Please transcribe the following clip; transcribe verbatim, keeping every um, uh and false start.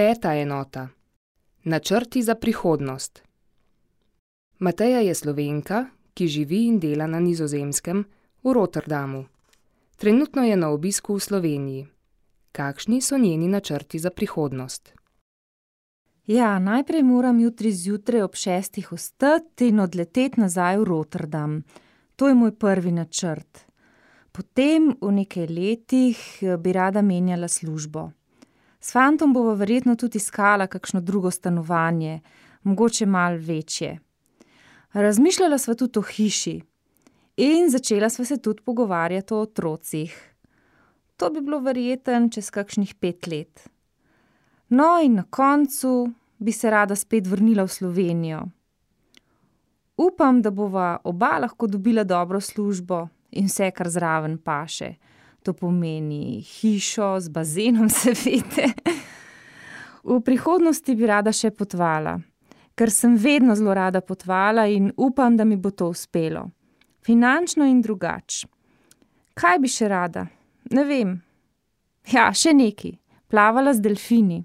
Peta enota. Načrti za prihodnost. Mateja je Slovenka, ki živi in dela na Nizozemskem, v Rotterdamu. Trenutno je na obisku v Sloveniji. Kakšni so njeni načrti za prihodnost? Ja, najprej moram jutri zjutraj ob šestih vstati in odleteti nazaj v Rotterdam. To je moj prvi načrt. Potem v nekaj letih bi rada menjala službo. S fantom bova verjetno tudi iskala kakšno drugo stanovanje, mogoče malo večje. Razmišljala sva tudi o hiši in začela sva se tudi pogovarjati o otrocih. To bi bilo verjetno čez kakšnih pet let. No, in na koncu bi se rada spet vrnila v Slovenijo. Upam, da bova oba lahko dobila dobro službo in vse, kar zraven paše. To pomeni hišo z bazenom, seveda. V prihodnosti bi rada še potovala, ker sem vedno zelo rada potovala in upam, da mi bo to uspelo. Finančno in drugače. Kaj bi še rada? Ne vem. Ja, še nekaj. Plavala z delfini.